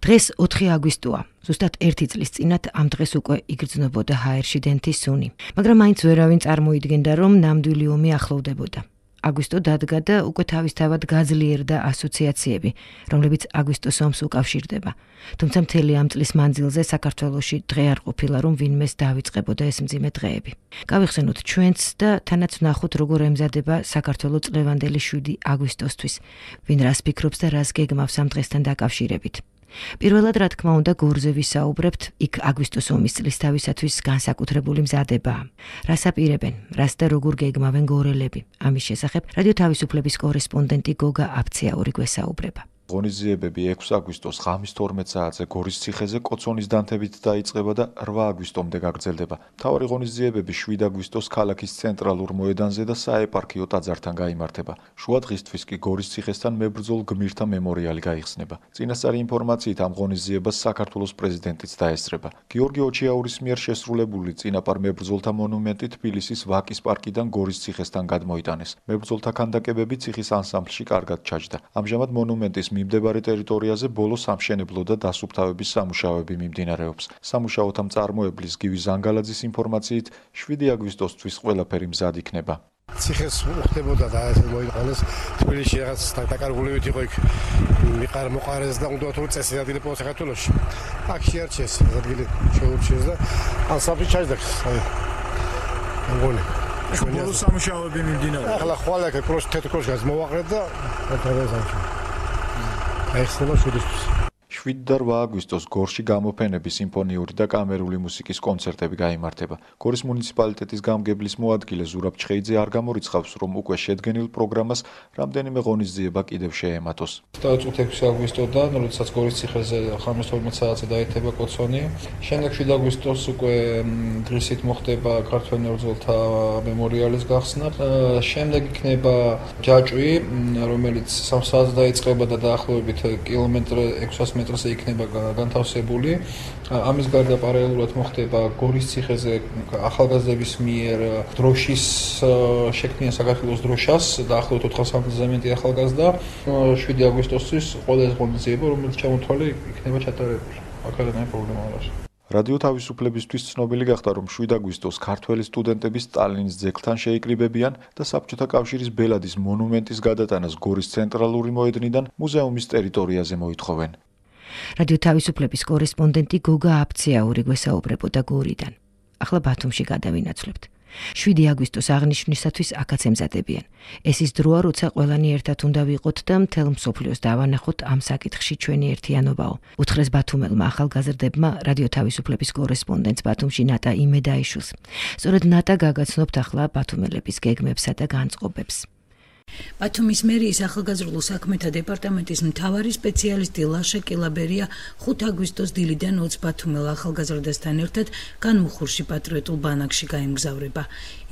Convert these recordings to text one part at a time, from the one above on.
დღეს 4 აგვისტოა. ზუსტად 1 წლის წინათ ამ დღეს უკვე იგრძნობოდა ჰაერში დენთის სუნი. მაგრამ მაინც ვერავინ წარმოიდგენდა, რომ ნამდვილი ომი ახლოვდებოდა. აგვისტო დადგა და უკვე თავისთავად გაძლიერდა ასოციაციები, რომლებიც აგვისტოს ომს უკავშირდება. თუმცა მთელი ამ წლის მანძილზე საქართველოში დღე არ ყოფილა, რომ ვინმეს დავიწყებოდა ეს მძიმე დღეები. გავიხსენოთ ჩვენც და თანაც ვნახოთ, როგორ ემზადება საქართველო წლევანდელი 7 აგვისტოსთვის. ვინ რას ფიქრობს და რას გეგმავს ამ დღესთან დაკავშირებით. პირველად, რა თქმა უნდა, გორზე ვისაუბრებთ, იქ აგვისტოს ომის წლისთავისათვის განსაკუთრებული მზადებაა. რას აპირებენ, რას და როგორ გეგმავენ გორელები? ამის შესახებ რადიო თავისუფლების კორესპონდენტი გოგა აფციაური გვესაუბრება. ღონისძიებები 6 აგვისტოს ღამის 12 საათზე გორის ციხეზე კოცონის დანთებით დაიწყება და 8 აგვისტომდე გაგრძელდება. მთავარი ღონისძიებები 7 აგვისტოს ქალაქის ცენტრალურ მოედანზე და საეპარქიო ტაძართან გაიმართება. შუა დღისთვის კი გორის ციხესთან მებრძოლ გმირთა მემორიალი გაიხსნება. წინასწარი ინფორმაციით ამ ღონისძიებას საქართველოს პრეზიდენტიც დაესწრება. გიორგი ოჩიაურის მიერ შესრულებული წინაპარ მებრძოლთა მონუმენტი თბილისის ვაკის პარკიდან გორის ციხესთან გადმოიტანეს. მებრძოლთა ქანდაკებები ციხის ანსამბლში კარგად ჩაჯდა. ამჟამად მონუმენტის მიმდებარე ტერიტორიაზე ბოლო სამშენებლო და დასუფთავების სამუშაოები მიმდინარეობს. სამუშაოთა მწარმოებლის გივი ზანგალაძის ინფორმაციით 7 აგვისტოსთვის ყველაფერი მზად იქნება. ციხეს უხდებოდა და ეს მოიყანეს თბილისში რაღაც დაკარგულებით იყო იქ მოყარეს და უნდა თუ წესი ადგილი პოს საქართველოში. აქ შეარჩიეს ადგილი შეურჩიეს და ანსამბლი ჩაჯდა. მოგონი ბოლო სამუშაოები მიმდინარეობს. ახლა ხვალე თეთრკროს მოვაყრეთ და გადავეზავთ. ახლა 7 და 8 აგვისტოს გორში გამოფენები, სიმფონიური და კამერული მუსიკის კონცერტები გაიმართება. გორის მუნიციპალიტეტის გამგებლის მოადგილე ზურაბ ჩხეიძე არ გამორიცხავს, რომ უკვე შედგენილ პროგრამას რამდენიმე ღონისძიება კიდევ შეემატოს. დავიწყოთ 6 აგვისტოდან, როდესაც გორის ციხეზე ღამის 12 საათზე დაეთება კოცონი. შემდეგ 7 აგვისტოს უკვე დღისით მოხდება ქართველ მებრძოლთა მემორიალის გახსნა. შემდეგ იქნება ჯაჭვი, რომელიც 3 საათზე დაიწყება და დაახლოებით კილომეტრ 600 მეტრზე იქნება განთავსებული. ამის გარდა პარალელურად მოხდება გორის ციხეზე ახალგაზრდების მიერ დროშის შექმნიან საქართველოს დროშას, დაახლოებით 400-მდე მეტი ახალგაზრდა. 7 აგვისტოსთვის ყველა ღონისძიება, რომელიც ჩამოთვალე იქნება ჩატარებული. აქედან პრობლემა არ არის. რადიო თავისუფლებისთვის ცნობილი გახდა, რომ 7 აგვისტოს ქართველი სტუდენტები სტალინის ძეგლთან შეიკრიბებიან და საბჭოთა კავშირის ბელადის მონუმენტის გადატანას გორის ცენტრალური მოედნიდან მუზეუმის ტერიტორიაზე მოითხოვენ. რადიო თავისუფლების კორესპონდენტი გოგა აფციაური გვესაუბრებოდა გორიდან. ახლა ბათუმში გადავინაცვლებთ. 7 აგვისტოს აღნიშვნისათვის აქაც ემზადებიან. ეს ის დროა, როცა ყველანი ერთად უნდა ვიყოთ და მთელ მსოფლიოს დავანახოთ ამ საკითხში ჩვენი ერთიანობაო. უთხრეს ბათუმელმა ახალგაზრდებმა რადიო თავისუფლების კორესპონდენტს ბათუმში ნატა იმედაიშვილს. სწორედ ნატა გაგაცნობთ ახლა ბათუმელების გეგმებსა და განწყობებს. ბათუმის მერიის ახალგაზრდულ საქმეთა დეპარტამენტის მთავარი სპეციალისტი ლაშა კილაბერია 5 აგვისტოს დილიდან 20 ბათუმელ ახალგაზრდასთან ერთად განმუხურში პატრიოტულ ბანაკში გაემგზავრება.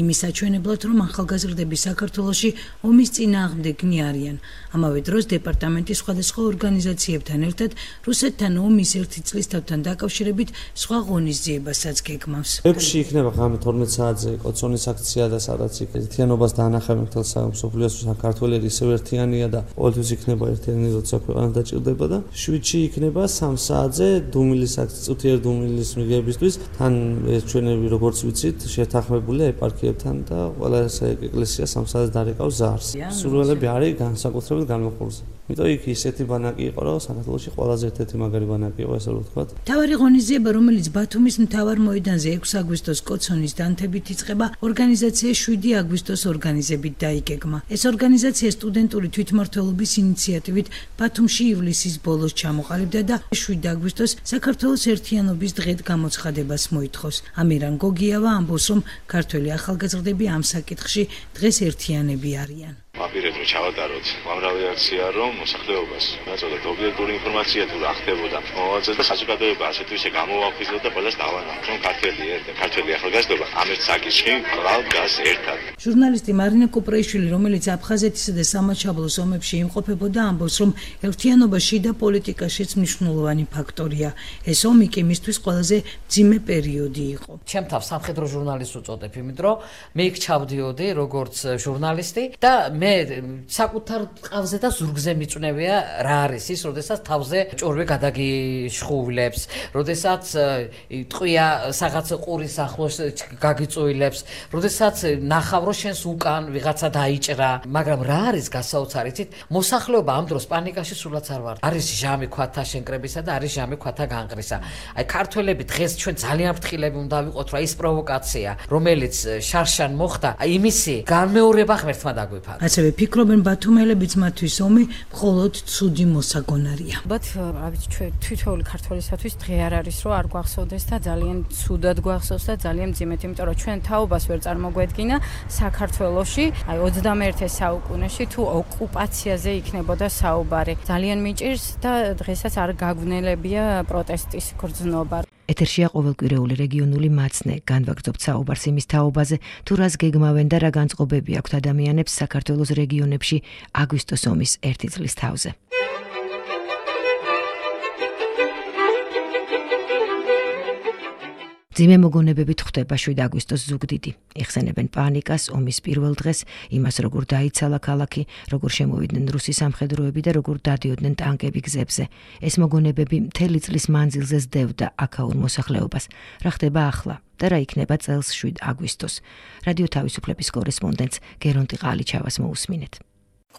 იმის საჩვენებლად, რომ ახალგაზრდები საქართველოში ომის წინააღმდეგნი არიან. ამავე დროს დეპარტამენტი სხვადასხვა ორგანიზაციებთან ერთად რუსეთთან ომის 1 წლისთავთან დაკავშირებით სხვა ღონისძიებასაც გეგმავს. ექვსში იქნება ღამე 12 საათზე კოცონის აქცია და სადაც ერთიანობას დაანახავენ მთელ მსოფლიოს საქართველოს ისევ ერთიანია და ყოველთვის იქნება ერთიანი, როცა ქვეყანა დაჭირდება და 7-ში იქნება 3 საათზე დუმილის აქცია, წუთიერ დუმილის მიღებისთვის. თან ჩვენები როგორც ვიცით, შეთანხმებულია ეპარქიებთან და ყველა ეკლესია 3 საათზე დარეკავს ზარს. სურვილები არის განსაკუთრებით განმოხურზე. იმიტომ იქ ისეთი ბანაკი იყო, რომ საქართველოში ყველაზე ერთ-ერთი მაგარი ბანაკი იყო, ესე რომ ვთქვათ. მთავარი ღონისძიება, რომელიც ბათუმის მთავარ მოედანზე 6 აგვისტოს კოცონის დანთებით იწყება, ორგანიზაცია 7 აგვისტოს ორგანიზებით დაიგეგმა. ეს ორგანიზაცია სტუდენტური თვითმმართველობის ინიციატივით ბათუმში ივლისის ბოლოს ჩამოყალიბდა და 7 აგვისტოს საქართველოს ერთიანობის დღედ გამოცხადებას მოითხოვს. ამირან გოგიავა ამბობს, რომ ქართველი ახალგაზრდები ამ საკითხში დღეს ერთიანები არიან. ვაპირებთ რომ ჩავატაროთ უამრავი აქცია, რომ მოსახლეობას დაწოდოთ ობიექტური ინფორმაცია თუ რა ხდებოდა მომავალზე და საზოგადოება ასეთ ვისე გამოვაფრთხილოთ და ყველას დავანახოთ, რომ ქართველი ახალგაზრდობა ამ ერთ საკითხში ყრალ დგას ერთად. ჟურნალისტი მარინა კუპრაიშვილი, რომელიც აფხაზეთისა და სამაჩაბლოს ომებში იმყოფებოდა, ამბობს, რომ ერთიანობა შიდა პოლიტიკაშიც მნიშვნელოვანი ფაქტორია. ეს ომი კი მისთვის ყველაზე მძიმე პერიოდი იყო. ჩემ თავს სამხედრო ჟურნალისტს უწოდებ, იმიტომ რომ მე იქ ჩავდიოდი როგორც ჟურნალისტი და მე მე საკუთარ ყავზე და ზურგზე მიწვნევია რა არის ის, როდესაც თავზე ჭორვე გადაგიშხუვლებს, როდესაც ტყვია რაღაც ყურის ახლოს გაგიწუილებს, როდესაც ნახავ რომ შენს უკან ვიღაცა დაიჭრა, მაგრამ რა არის გასაოცარი, იცით? მოსახლეობა ამ დროს პანიკაში სულაც არ ვარ. არის ჟამი ქვათა შენკრებისა და არის ჟამი ქვათა განყრისა. აი ქართველები დღეს ჩვენ ძალიან ფრთხილები უნდა ვიყოთ, რა ის პროვოკაცია, რომელიც შარშან მოხდა, აი იმისი განმეორება ღმერთმა დაგვიფარა. ასევე ფიქრობენ ბათუმელებიც მათთვის ომი მხოლოდ ცუდი მოსაგონარია. ალბათ, რა ვიცი, ჩვენ თითოეული ქართველისათვის დღე არ არის, რომ არ გვახსოვდეს და ძალიან ცუდად გვახსოვს და ძალიან მძიმედ, იმიტომ რომ ჩვენ თაობას ვერ წარმოგვედგინა საქართველოში, აი 21 საუკუნეში თუ ოკუპაციაზე იქნებოდა საუბარი. ძალიან მიჭირს და დღესაც არ გაგვნელებია პროტესტის გრძნობა. ეთერშია ყოველკვირეული რეგიონული მაცნე, განვაგრძობთ საუბარს იმის თაობაზე, თუ რას გეგმავენ და რა განწყობები აქვთ ადამიანებს საქართველოს რეგიონებში აგვისტოს ომის 1 წლის თავზე. ძიმე მოგონებებით ხვდება 7 აგვისტოს ზუგდიდი. იხსენებენ პანიკას, ომის პირველ დღეს, იმას როგორ დაიცალა ქალაქი, როგორ შემოვიდნენ რუსი სამხედროები და როგორ დადიოდნენ ტანკები გზებზე. ეს მოგონებები მთელი წლის მანძილზე ზდევდა აქაურ მოსახლეობას. რა ხდება ახლა და რა იქნება წელს 7 აგვისტოს. რადიო თავისუფლების კორესპონდენტს გერონტი ყალიჩავას მოусმინეთ.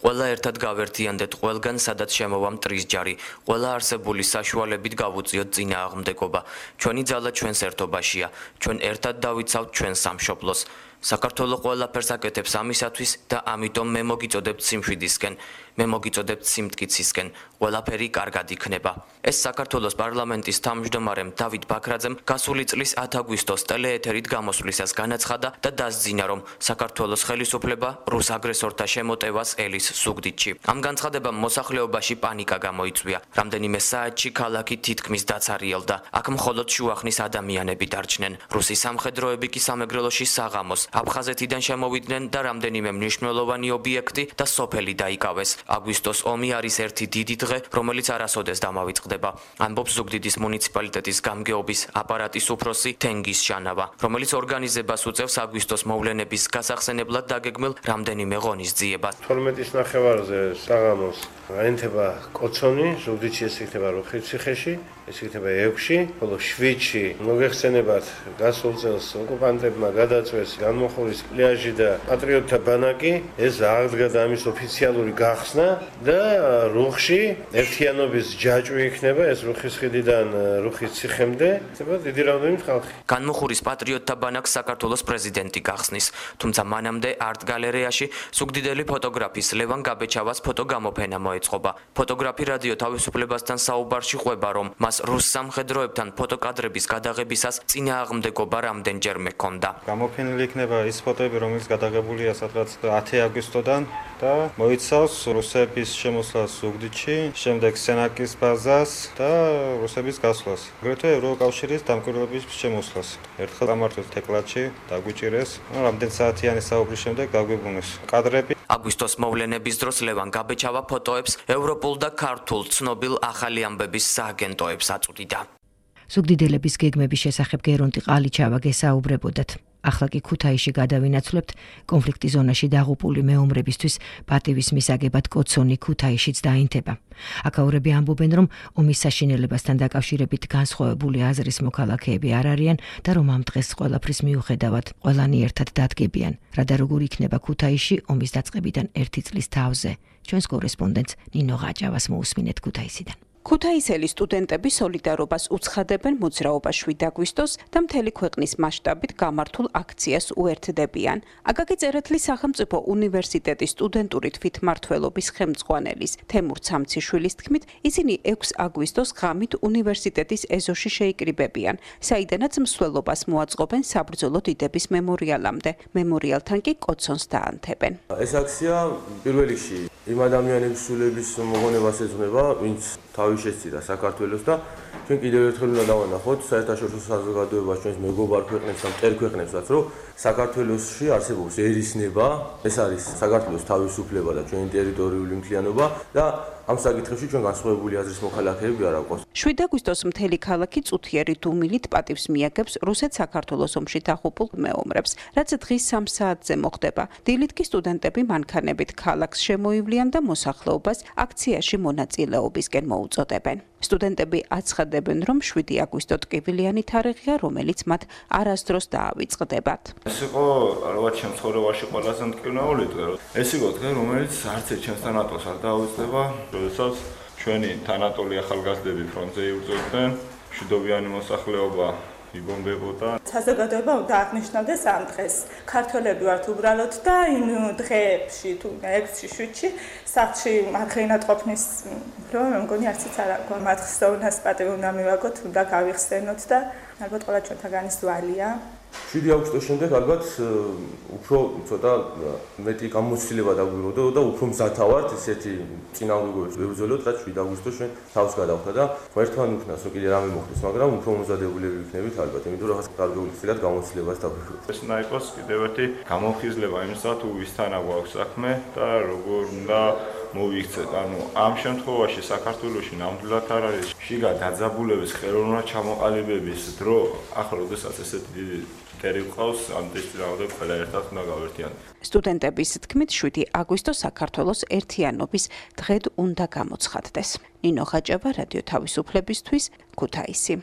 ყველა ერთად გავერთიანდეთ ყველგან, სადაც შემოვა მტრის ჯარი. ყველა არსებული საშუალებით გავუწიოთ წინააღმდეგობა. ჩვენი ძალა ჩვენს ერთობაშია. ჩვენ ერთად დავიცავთ ჩვენ სამშობლოს. საქართველო ყველაფერს აკეთებს ამისათვის და ამიტომ მე მოგიწოდებთ სიმშვიდისკენ. მე მოგიწოდებთ სიმტკიცისკენ. ყველაფერი კარგად იქნება. ეს საქართველოს პარლამენტის თავმჯდომარემ დავით ბაქრაძემ გასული წლის 10 აგვისტოს ტელეეთერით გამოსვლისას განაცხადა და დასძინა, რომ საქართველოს ხელისუფლება რუს აგრესორთა შემოტევას ელის ზუგდიდში. ამ განცხადებამ მოსახლეობაში პანიკა გამოიწვია. რამდენიმე საათში ქალაქი თითქმის დაცარიელდა. აქ მხოლოდ შუახნის ადამიანები დარჩნენ. რუსი სამხედროები კი სამეგრელოში საღამოს აფხაზეთიდან შემოვიდნენ და რამდენიმე მნიშვნელოვანი ობიექტი და სოფელი დაიკავეს. აგვისტოს ომი არის ერთი დიდი დღე, რომელიც არასოდეს დამავიწყდება. ამბობს ზუგდიდის მუნიციპალიტეტის გამგეობის აპარატის უფროსი თენგიზ შანავა, რომელიც ორგანიზებას უწევს აგვისტოს მოვლენების გასახსენებლად დაგეგმილ რამდენიმე ღონისძიებას. 12-ის ნახევარზე საღამოს აინთება კოცონი, ზუგდიდში ეს იქნება როხიციხეში, ეს იქნება 6-ში, ხოლო 7-ში მოგეხსენებათ გასულ წელს ოკუპანტებმა გადაწვეს განმოხურის პლიაჟი და პატრიოტთა ბანაკი, ეს აღდგა და ამის ოფიციალური გახსნა და რუხში ერთიანობის ჯაჭვი იქნება, ეს რუხის ხიდიდან რუხის ციხემდე, იქნება დიდი რაოდენობით ხალხი. განმოხურის პატრიოტთა ბანაკს საქართველოს პრეზიდენტი გახსნის, თუმცა მანამდე არტ გალერეაში ზუგდიდელი ფოტოგრაფის ლევან გაბეჩავას ფოტოგამოფენა მოეწყობა. ფოტოგრაფი რადიო თავისუფლებასთან საუბარში ყვება, რომ მას რუს სამხედროებთან ფოტოკადრების გადაღებისას წინააღმდეგობა რამდენჯერმე ჰქონდა. გამოფენილი იქნება ის ფოტოები, რომელიც გადაღებულია სადღაც 10 აგვისტოდან და მოიცავს რუსების შემოსვლას ზუგდიდში, შემდეგ სენაკის ბაზას და რუსების გასვლას. აგრეთვე ევროკავშირის დამკვირვებლების შემოსვლას. ერთხელ გამართვეს თეკლათში, დაგვიჭირეს, რამდენ საათიანი საუბრის შემდეგ დაგვიბრუნეს კადრები. აგვისტოს მოვლენების დროს ლევან გაბეჩავა ფოტოებს ევროპულ და ქართულ ცნობილ ახალი ამბების სააგენტოებს აწვდიდა. ზუგდიდელების გეგმების შესახებ გერონტი ყალიჩავა გესაუბრებოდათ. ახლა კი ქუთაისში გადავინაცვლებთ, კონფლიქტის ზონაში დაღუპული მეომრებისთვის პატივის მისაგებად კოცონი ქუთაისშიც დაინთება. აქაურები ამბობენ, რომ ომის საშინელებასთან დაკავშირებით განსხვავებული აზრის მოქალაქეები არ არიან და რომ ამ დღეს ყველაფრის მიუხედავად ყველანი ერთად დადგებიან. რა და როგორ იქნება ქუთაისში ომის დაწყებიდან 1 წლის თავზე. ჩვენს კორესპონდენტს ნინო ღაჭავას მოусმინეთ ქუთაისიდან. ქუთაისელი სტუდენტები სოლიდარობას უცხადებენ მოძრაობას 7 აგვისტოს და მთელი ქვეყნის მასშტაბით გამართულ აქციას უერთდებიან. აკაკი წერეთლის სახელმწიფო უნივერსიტეტის სტუდენტური თვითმმართველობის ხელმძღვანელის თემურ ცამციშვილის თქმით, ისინი 6 აგვისტოს ღამით უნივერსიტეტის ეზოში შეიკრიბებიან, საიდანაც მსვლელობას მოაწყობენ საბრძოლო დიდების მემორიალამდე. მემორიალთან კი კოცონს დაანთებენ. ეს აქცია პირველ რიგში იმ ადამიანების სულების მოგონებას ეძღვნება, ვინც თავი შეცდიდა საქართველოს და ჩვენ კიდევ ერთხელ უნდა დავანახოთ საერთაშორისო საზოგადოებას, ჩვენს მეგობარ ქვეყნებს და მტერ ქვეყნებსაც, რომ საქართველოსში არსებობს ერისნება, ეს არის საქართველოს თავისუფლება და ჩვენი ტერიტორიული მთლიანობა და ამ საკითხებში ჩვენ განსხვავებული აზრის მოქალაქეები არ აყვავს. 7 აგვისტოს მთელი ქალაქი წუთიერი დუმილით პატივს მიაგებს რუსეთ-საქართველოს ომში დაღუპულ მეომრებს, რაც დღის 3 საათზე მოხდება. დილით კი სტუდენტები მანქანებით ქალაქს შემოივლიან და მოსახლეობას აქციაში მონაწილეობისკენ მოუწოდებენ. სტუდენტები აცხადებენ, რომ 7 აგვისტო ტკივილიანი თარიღია, რომელიც მათ არასდროს დაავიწყდებათ. ეს იყო ალბათ ჩემ ცხოვრებაში ყველაზე მტკივნეული დღე. ეს იყო დღე, რომელიც არც ერთ ჩემს თანატოლს არ დაავიწყდება, როდესაც ჩვენი თანატოლი ახალგაზრდები ფრონტზე იბრძოდნენ, მშვიდობიანი მოსახლეობა იბომბებოდა. საზოგადოება უნდა აღნიშნავდეს ამ დღეს. ქართველები ვართ უბრალოდ და იმ დღეებში თუ 6-7-ში სახლში მარხენად ყოფნის რო მე მგონი არციც არ აქვს. მათ ხსოვნას პატივი უნდა მივაგოთ, უნდა გავიხსენოთ და ალბათ ყველა ჩვენთაგანის ვალია. 7 აგვისტოს შემდეგ ალბათ უფრო ცოტა მეტი გამოცდილება დაგვიროდა და უფრო მზათა ვართ ისეთი წინააღმდეგობებს ვებრძოლოთ, რაც 7 აგვისტოს ჩვენ თავს გადავხდა და ერთმან უქნას რომ კიდე რამე მოხდეს, მაგრამ უფრო მომზადებულები ვიქნებით ალბათ, იმიტომ რომ რაღაც კარგული ხილად გამოცდილებას დაგვიროდა. ეს უნდა იყოს კიდევ ერთი გამოვხიზლება იმისა თუ ვისთანა გვაქვს საქმე და როგორ უნდა მოვიქცეთ. ანუ ამ შემთხვევაში საქართველოში ნამდვილად არ არის შიგა დაძაბულების ხელოვნურად ჩამოყალიბების დრო, ახლა როდესაც ესეთი დიდი მტერი ყავს, ამ დისციპლინამდე ყველა ერთად უნდა გავერთიანოთ. სტუდენტების თქმით 7 აგვისტო საქართველოს ერთიანობის დღედ უნდა გამოცხადდეს. ნინო ხაჭავა, რადიო თავისუფლებისთვის, ქუთაისი.